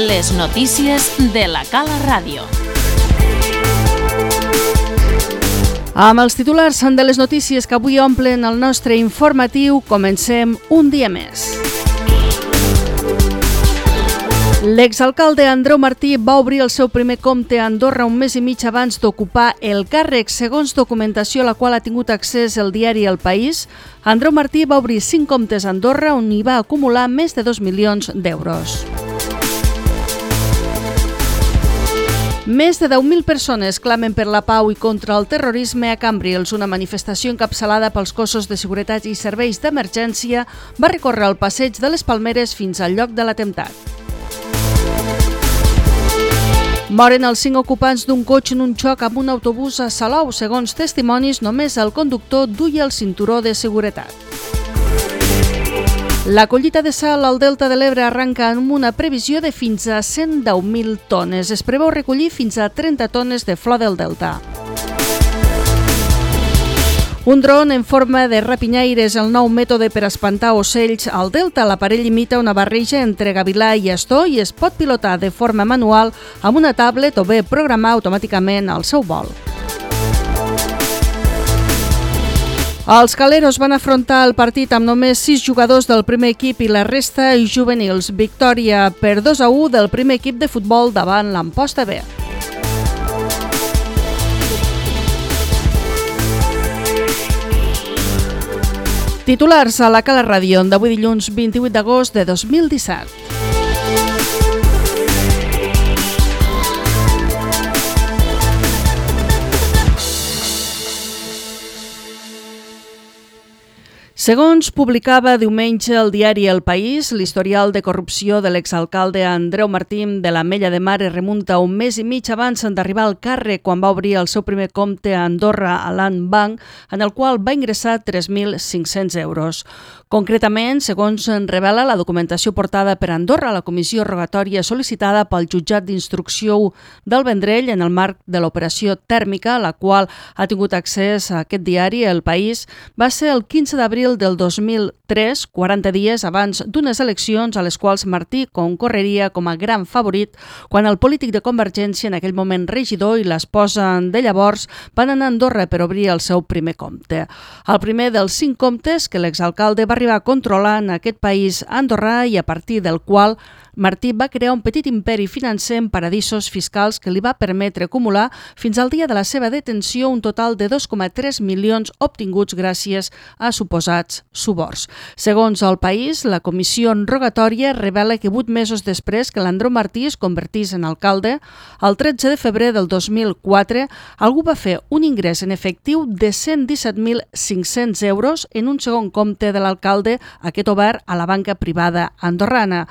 Les notícies de la Cala Ràdio. Amb els titulars de les notícies que avui omplen el nostre informatiu, comencem un dia més. L'exalcalde Andreu Martí va obrir el seu primer compte a Andorra un mes i mig abans d'ocupar el càrrec. Segons documentació a la qual ha tingut accés el diari El País, Andreu Martí va obrir 5 comptes a Andorra on hi va acumular més de 2 milions d'euros. Més de 10.000 persones clamen per la pau i contra el terrorisme a Cambrils. Una manifestació encapçalada pels cossos de seguretat i serveis d'emergència va recórrer el passeig de les Palmeres fins al lloc de l'atemptat. Moren els 5 ocupants d'un cotxe en un xoc amb un autobús a Salou. Segons testimonis, només el conductor duia el cinturó de seguretat. La collita de sal al Delta de l'Ebre arranca amb una previsió de fins a 110.000 tones. Es preveu recollir fins a 30 tones de flor del Delta. Un dron en forma de rapinyaires, el nou mètode per espantar ocells al Delta. L'aparell imita una barreja entre gavilà i astor i es pot pilotar de forma manual amb una tablet o bé programar automàticament el seu vol. Els caleros van afrontar el partit amb només 6 jugadors del primer equip i la resta juvenils. Victòria per 2-1 del primer equip de futbol davant l'Amposta B. Titulars a la Cala Ràdio d'avui dilluns 28 d'agost de 2017. Segons publicava diumenge el diari El País, l'historial de corrupció de l'exalcalde Andreu Martí de l'Ametlla de Mar es remunta un mes i mig abans d'arribar al càrrec, quan va obrir el seu primer compte a Andorra a Land Bank, en el qual va ingressar 3.500 euros. Concretament, segons revela la documentació portada per Andorra a la comissió rogatòria sol·licitada pel jutjat d'instrucció 1 del Vendrell en el marc de l'operació tèrmica, a la qual ha tingut accés a aquest diari, El País, va ser el 15 d'abril del 2003, 40 dies abans d'unes eleccions a les quals Martí concorreria com a gran favorit quan el polític de Convergència, en aquell moment regidor, i l'esposa de llavors van anar a Andorra per obrir el seu primer compte. El primer dels 5 comptes que l'exalcalde va arribar a controlar en aquest país andorrà i a partir del qual Martí va crear un petit imperi financer en paradisos fiscals que li va permetre acumular fins al dia de la seva detenció un total de 2,3 milions obtinguts gràcies a suposats suborns. Segons El País, la comissió rogatòria revela que 8 mesos després que l'Andreu Martí es convertís en alcalde, el 13 de febrer del 2004, algú va fer un ingrés en efectiu de 117.500 euros en un segon compte de l'alcalde, aquest obert a la banca privada andorrana.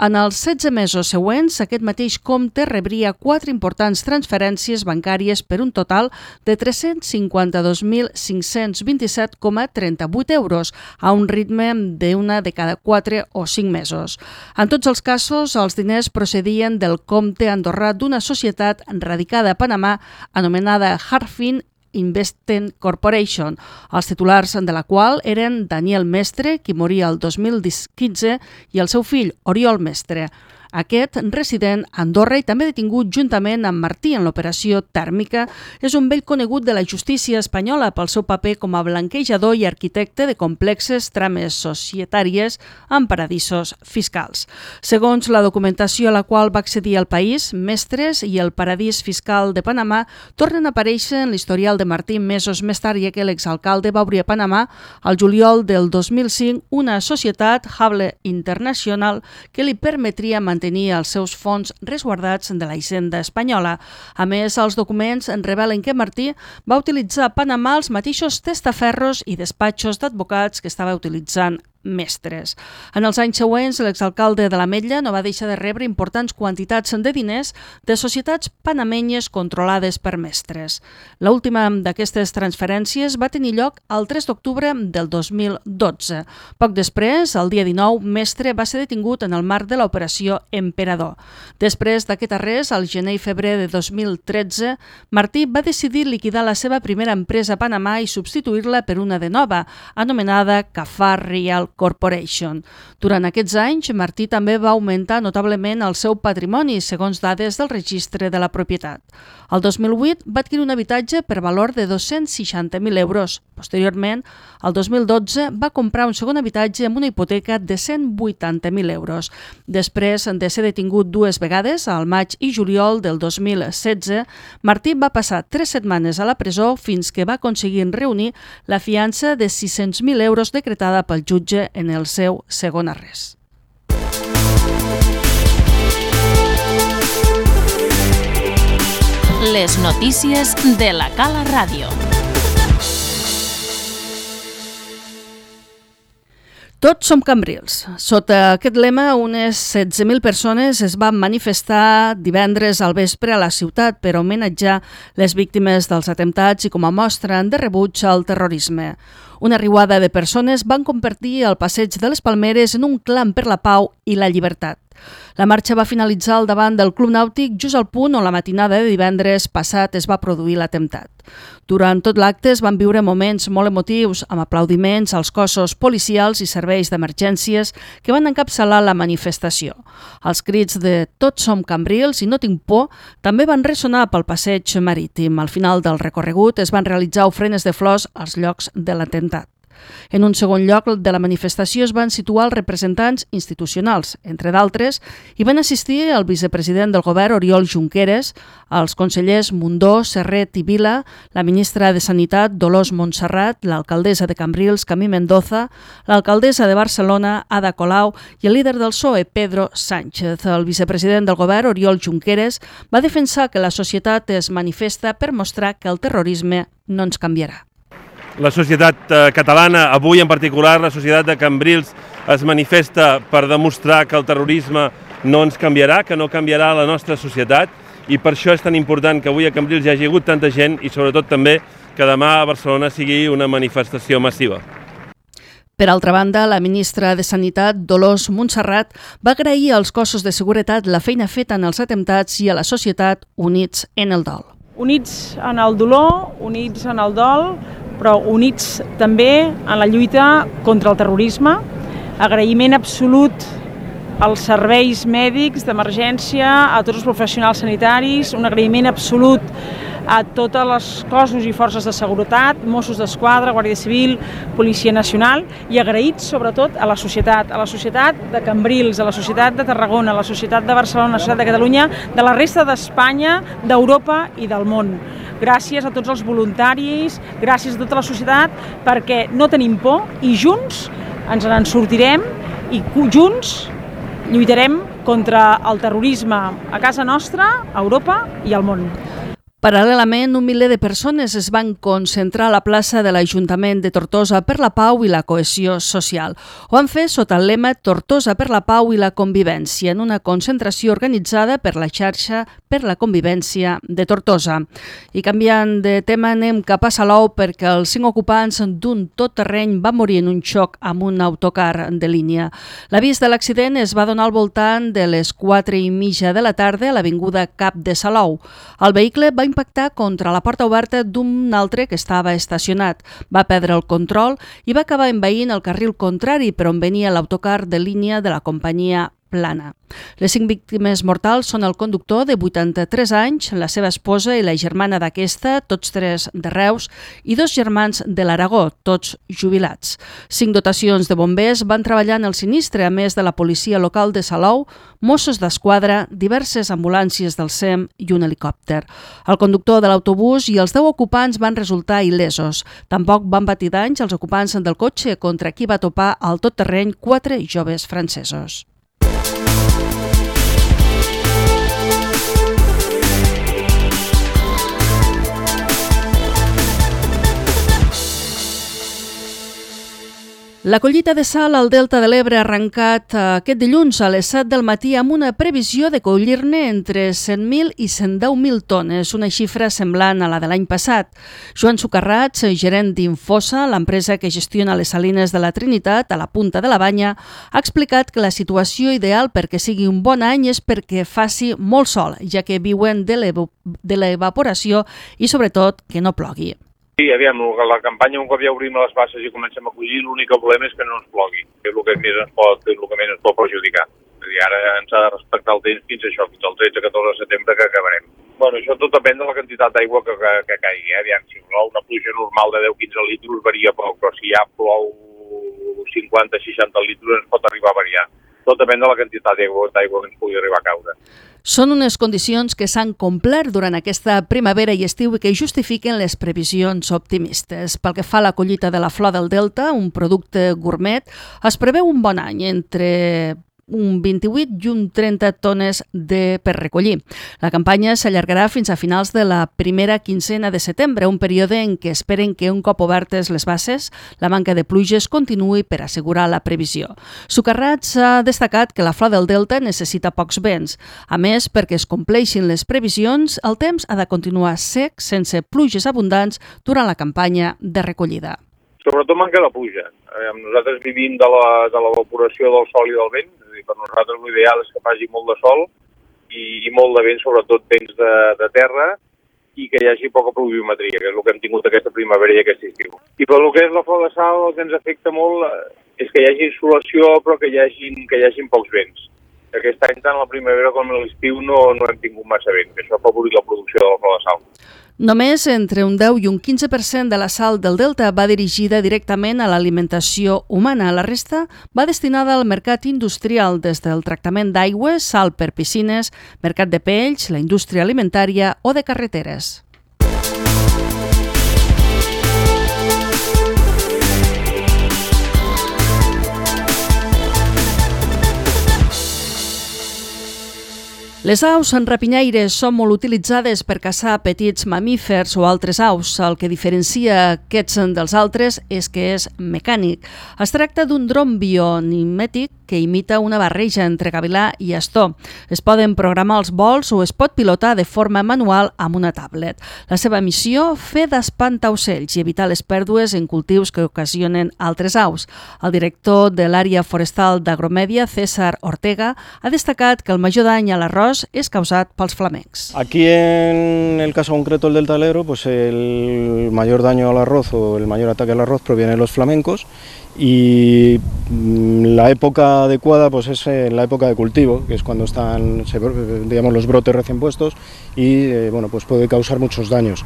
En els 16 mesos següents, aquest mateix compte rebria 4 importants transferències bancàries per un total de 352.527,38 euros, a un ritme d'una de cada 4 o 5 mesos. En tots els casos, els diners procedien del compte andorrà d'una societat radicada a Panamà anomenada Harfin Investment Corporation, els titulars de la qual eren Daniel Mestre, qui moria el 2015, i el seu fill, Oriol Mestre. Aquest, resident a Andorra i també detingut juntament amb Martí en l'operació tèrmica, és un vell conegut de la justícia espanyola pel seu paper com a blanquejador i arquitecte de complexes trames societàries en paradisos fiscals. Segons la documentació a la qual va accedir El País, Mestres i el paradís fiscal de Panamà tornen a aparèixer en l'historial de Martí mesos més tard, ja que l'exalcalde va obrir a Panamà al juliol del 2005 una societat, Hable International, que li permetria mantenir els seus fons resguardats de la hisenda espanyola. A més, els documents revelen que Martí va utilitzar a Panamà els mateixos testaferros i despatxos d'advocats que estava utilitzant Mestres. En els anys següents, l'exalcalde de l'Ametlla no va deixar de rebre importants quantitats de diners de societats panamenyes controlades per Mestres. L'última d'aquestes transferències va tenir lloc el 3 d'octubre del 2012. Poc després, el dia 19, Mestre va ser detingut en el marc de l'operació Emperador. Després d'aquest arrest, al gener i febrer de 2013, Martí va decidir liquidar la seva primera empresa a Panamà i substituir-la per una de nova, anomenada Cafar Real Corporation. Durant aquests anys, Martí també va augmentar notablement el seu patrimoni, segons dades del registre de la propietat. El 2008 va adquirir un habitatge per valor de 260.000 euros. Posteriorment, el 2012 va comprar un segon habitatge amb una hipoteca de 180.000 euros. Després de ser detingut dues vegades, al maig i juliol del 2016, Martí va passar 3 setmanes a la presó fins que va aconseguir reunir la fiança de 600.000 euros decretada pel jutge en el seu segon arrest. Les notícies de la Cala Ràdio. Tots som cambrils. Sota aquest lema, unes 16.000 persones es van manifestar divendres al vespre a la ciutat per homenatjar les víctimes dels atemptats i com a mostra de rebuig al terrorisme. Una riuada de persones van convertir el passeig de les Palmeres en un clam per la pau i la llibertat. La marxa va finalitzar al davant del Club Nàutic just al punt on la matinada de divendres passat es va produir l'atemptat. Durant tot l'acte es van viure moments molt emotius, amb aplaudiments als cossos policials i serveis d'emergències que van encapçalar la manifestació. Els crits de «Tots som cambrils i no tinc por» també van ressonar pel passeig marítim. Al final del recorregut es van realitzar ofrenes de flors als llocs de l'atemptat. En un segon lloc de la manifestació es van situar els representants institucionals. Entre d'altres, hi van assistir el vicepresident del govern, Oriol Junqueras, els consellers Mundó, Serret i Vila, la ministra de Sanitat, Dolors Montserrat, l'alcaldessa de Cambrils, Camí Mendoza, l'alcaldessa de Barcelona, Ada Colau, i el líder del PSOE, Pedro Sánchez. El vicepresident del govern, Oriol Junqueras, va defensar que la societat es manifesta per mostrar que el terrorisme no ens canviarà. La societat catalana, avui en particular la societat de Cambrils, es manifesta per demostrar que el terrorisme no ens canviarà, que no canviarà la nostra societat, i per això és tan important que avui a Cambrils hi hagi hagut tanta gent i sobretot també que demà a Barcelona sigui una manifestació massiva. Per altra banda, la ministra de Sanitat, Dolors Montserrat, va agrair als cossos de seguretat la feina feta en els atemptats i a la societat units en el dol. Units en el dolor, units en el dol, però units també en la lluita contra el terrorisme. Agraïment absolut als serveis mèdics d'emergència, a tots els professionals sanitaris, un agraïment absolut a tots els cossos i forces de seguretat, Mossos d'Esquadra, Guàrdia Civil, Policia Nacional, i agraïts sobretot a la societat de Cambrils, a la societat de Tarragona, a la societat de Barcelona, a la societat de Catalunya, de la resta d'Espanya, d'Europa i del món. Gràcies a tots els voluntaris, gràcies a tota la societat, perquè no tenim por i junts ens en sortirem i junts lluitarem contra el terrorisme a casa nostra, a Europa i al món. Paral·lelament, un miler de persones es van concentrar a la plaça de l'Ajuntament de Tortosa per la pau i la cohesió social. Ho van fer sota el lema Tortosa per la pau i la convivència, en una concentració organitzada per la xarxa per la convivència de Tortosa. I canviant de tema, anem cap a Salou perquè els 5 ocupants d'un tot-terreny van morir en un xoc amb un autocar de línia. L'avís de l'accident es va donar al voltant de les 4:30 de la tarda a l'avinguda Cap de Salou. El vehicle va impactar contra la porta oberta d'un altre que estava estacionat. Va perdre el control i va acabar envaint el carril contrari per on venia l'autocar de línia de la companyia Plana. Les 5 víctimes mortals són el conductor de 83 anys, la seva esposa i la germana d'aquesta, tots 3 de Reus, i 2 germans de l'Aragó, tots jubilats. 5 dotacions de bombers van treballar en el sinistre, a més de la policia local de Salou, Mossos d'Esquadra, diverses ambulàncies del SEM i un helicòpter. El conductor de l'autobús i els 10 ocupants van resultar il·lesos. Tampoc van patir danys els ocupants del cotxe contra qui va topar al tot-terreny 4 joves francesos. La collita de sal al Delta de l'Ebre ha arrencat aquest dilluns a les 7 del matí amb una previsió de collir-ne entre 100.000 i 110.000 tones, una xifra semblant a la de l'any passat. Joan Socarrats, gerent d'Infosa, l'empresa que gestiona les salines de la Trinitat, a la Punta de la Banya, ha explicat que la situació ideal perquè sigui un bon any és perquè faci molt sol, ja que viuen de l'evaporació i sobretot que no plogui. Sí, aviam, la campanya un cop ja obrim les basses i comencem a collir, l'únic que volem és que no ens plogui, que és el que més ens pot perjudicar. És a dir, ara ens ha de respectar el temps fins això, fins al 13-14 de setembre que acabarem. Bueno, això tot depèn de la quantitat d'aigua que caigui. Aviam, si plou una pluja normal de 10-15 litres varia poc, però si ja plou 50-60 litres ens pot arribar a variar. Tot depèn de la quantitat d'aigua que ens pugui arribar a caure. Són unes condicions que s'han complert durant aquesta primavera i estiu i que justifiquen les previsions optimistes. Pel que fa a la collita de la flor del Delta, un producte gourmet, es preveu un bon any entre un 28 i un 30 tones per recollir. La campanya s'allargarà fins a finals de la primera quincena de setembre, un període en què esperen que un cop obertes les basses, la manca de pluges continuï per assegurar la previsió. Socarrats ha destacat que la flor del Delta necessita pocs vents. A més, perquè es compleixin les previsions, el temps ha de continuar sec, sense pluges abundants durant la campanya de recollida. Sobretot manca de pluja. Nosaltres vivim de l'evaporació del sol i del vent, és a dir, per nosaltres l'ideal és que faci molt de sol i molt de vent, sobretot vents de terra, i que hi hagi poca pluviometria, que és el que hem tingut aquesta primavera i aquest estiu. I per el que és la flor de sal, el que ens afecta molt és que hi hagi insolació, però que hi hagin pocs vents. Aquest any, tant la primavera com l'estiu, no hem tingut massa vent, que això ha favorit la producció de la flor de sal. Només entre un 10 i un 15% de la sal del Delta va dirigida directament a l'alimentació humana. La resta va destinada al mercat industrial, des del tractament d'aigües, sal per piscines, mercat de pells, la indústria alimentària o de carreteres. Les aus rapinyaires són molt utilitzades per caçar petits mamífers o altres aus. El que diferencia aquests dels altres és que és mecànic. Es tracta d'un dron bionimètic que imita una barreja entre gavilà i astor. Es poden programar els vols o es pot pilotar de forma manual amb una tablet. La seva missió, fer d'espantaocells i evitar les pèrdues en cultius que ocasionen altres aus. El director de l'àrea forestal d'Agromèdia, César Ortega, ha destacat que el major dany a l'arròs es causat pels flamencs. Aquí en el caso concreto del Delta del Ebro, pues el mayor daño al arroz o el mayor ataque al arroz proviene de los flamencos y la época adecuada pues es en la época de cultivo, que es cuando están digamos, los brotes recién puestos y bueno, pues puede causar muchos daños.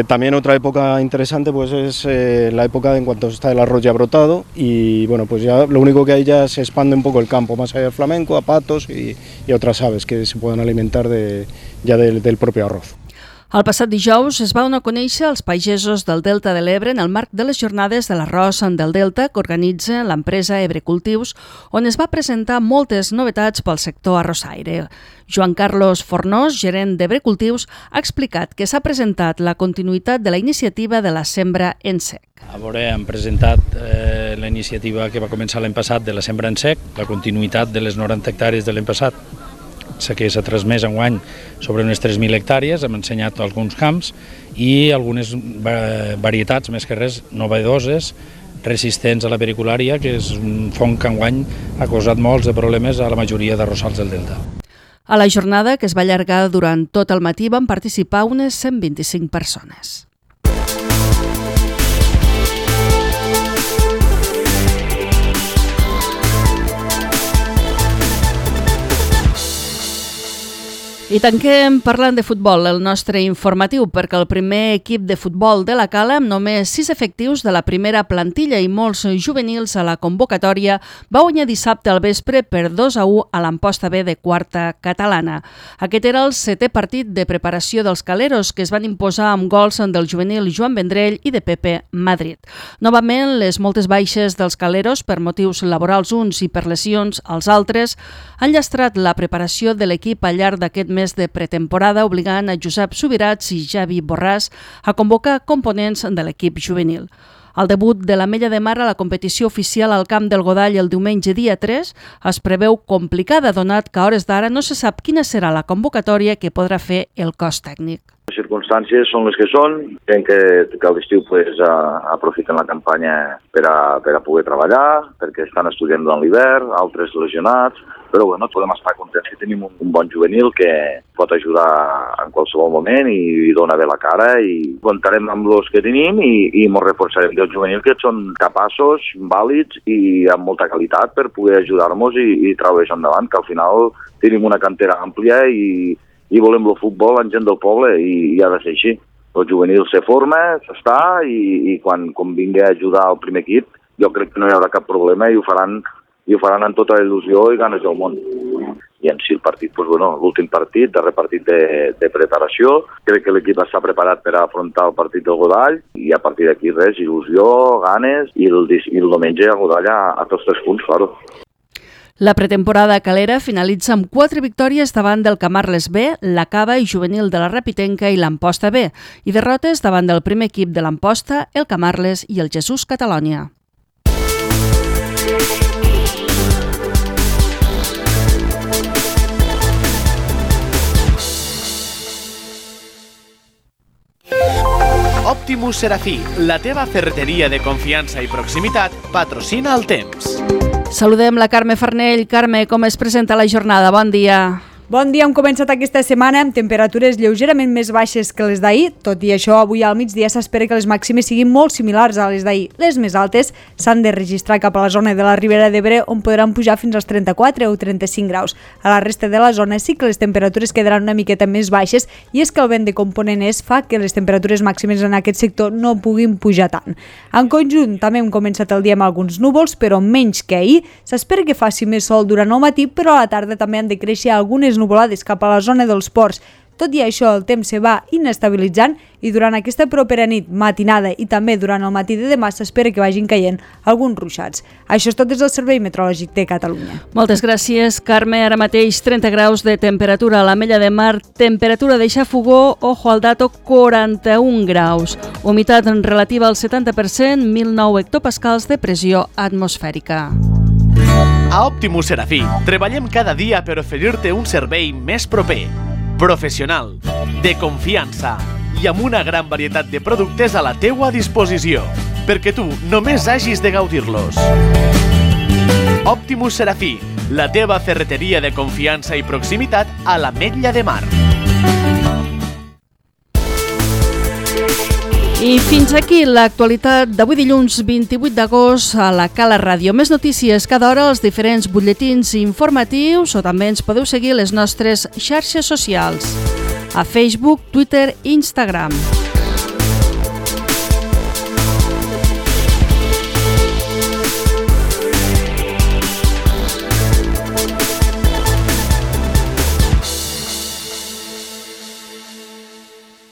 También otra época interesante pues es la época en cuanto está el arroz ya brotado y bueno, pues ya lo único que hay ya se expande un poco el campo más allá del flamenco, a patos y otras aves que se puedan alimentar ya del propio arroz. El passat dijous es va donar a conèixer als pagesos del Delta de l'Ebre en el marc de les jornades de l'arròs del Delta que organitza l'empresa Ebre Cultius, on es va presentar moltes novetats pel sector arrossaire. Joan Carlos Fornós, gerent d'Ebre Cultius, ha explicat que s'ha presentat la continuïtat de la iniciativa de la sembra en sec. A veure, hem presentat la iniciativa que va començar l'any passat de la sembra en sec, la continuïtat de les 90 hectàrees de l'any passat, que s'ha transmès enguany sobre unes 3.000 hectàrees, hem ensenyat alguns camps i algunes varietats, més que res, novedoses, resistents a la periculària, que és un fong que enguany ha causat molts de problemes a la majoria d'arrossals del Delta. A la jornada, que es va allargar durant tot el matí, van participar unes 125 persones. I tanquem parlant de futbol, el nostre informatiu, perquè el primer equip de futbol de la Cala, amb només 6 efectius de la primera plantilla i molts juvenils a la convocatòria, va guanyar dissabte al vespre per 2-1 a l'Amposta B de quarta catalana. Aquest era el 7è partit de preparació dels caleros, que es van imposar amb gols del juvenil Joan Vendrell i de Pepe Madrid. Novament, les moltes baixes dels caleros per motius laborals uns i per lesions als altres han llastrat la preparació de l'equip al llarg d'aquest mes de pretemporada, obligant a Josep Subirats i Javi Borràs a convocar components de l'equip juvenil. El debut de l'Ametlla de Mar a la competició oficial al Camp del Godall el diumenge dia 3 es preveu complicada, donat que a hores d'ara no se sap quina serà la convocatòria que podrà fer el cos tècnic. circumstàncies són les que són. Crec que a l'estiu aprofiten la campanya per a poder treballar, perquè estan estudiant durant l'hivern, altres lesionats, però podem estar contents que tenim un bon juvenil que pot ajudar en qualsevol moment i dona bé la cara, i comptarem amb els que tenim i ens reforçarem del juvenil, que són capaços, vàlids i amb molta qualitat per poder ajudar-nos i treure això endavant, que al final tenim una cantera àmplia i volem el futbol en gent del poble i ha de ser així. El juvenil se forma, s'està i quan vingui a ajudar al primer equip jo crec que no hi haurà cap problema i ho faran amb tota la il·lusió i ganes del món. I en si el partit, l'últim partit, darrer partit de preparació, crec que l'equip està preparat per afrontar el partit del Godall i a partir d'aquí res, il·lusió, ganes i el diumenge a Godall a tots 3 punts, claro. La pretemporada calera finalitza amb 4 victòries davant del Camarles B, la Cava i Juvenil de la Rapitenca i l'Amposta B, i derrotes davant del primer equip de l'Amposta, el Camarles i el Jesús Catalònia. Optimus Serafí, la teva ferreteria de confiança i proximitat, patrocina el temps. Saludem la Carme Farnell. Carme, com es presenta la jornada? Bon dia. Bon dia, hem començat aquesta setmana amb temperatures lleugerament més baixes que les d'ahir. Tot i això, avui al migdia s'espera que les màximes siguin molt similars a les d'ahir. Les més altes s'han de registrar cap a la zona de la Ribera d'Ebre, on podran pujar fins als 34 o 35 graus. A la resta de la zona sí que les temperatures quedaran una miqueta més baixes, i és que el vent de component est fa que les temperatures màximes en aquest sector no puguin pujar tant. En conjunt, també hem començat el dia amb alguns núvols, però menys que ahir. S'espera que faci més sol durant el matí, però a la tarda també han de créixer algunes nuvolades cap a la zona dels ports. Tot i això, el temps se va inestabilitzant i durant aquesta propera nit, matinada i també durant el matí de demà s'espera que vagin caient alguns ruixats. Això és tot des del Servei Meteorològic de Catalunya. Moltes gràcies, Carme. Ara mateix 30 graus de temperatura a l'Ametlla de Mar, temperatura de Xafogó, ojo al dato, 41 graus. Humitat relativa al 70%, 1.009 hectopascals de pressió atmosfèrica. A Optimus Serafí treballem cada dia per oferir-te un servei més proper, professional, de confiança i amb una gran varietat de productes a la teua disposició, perquè tu només hagis de gaudir-los. Optimus Serafí, la teva ferreteria de confiança i proximitat a l'Ametlla de Mar. I fins aquí l'actualitat d'avui dilluns 28 d'agost a la Cala Ràdio. Més notícies cada hora als diferents butlletins informatius, o també ens podeu seguir a les nostres xarxes socials, a Facebook, Twitter i Instagram.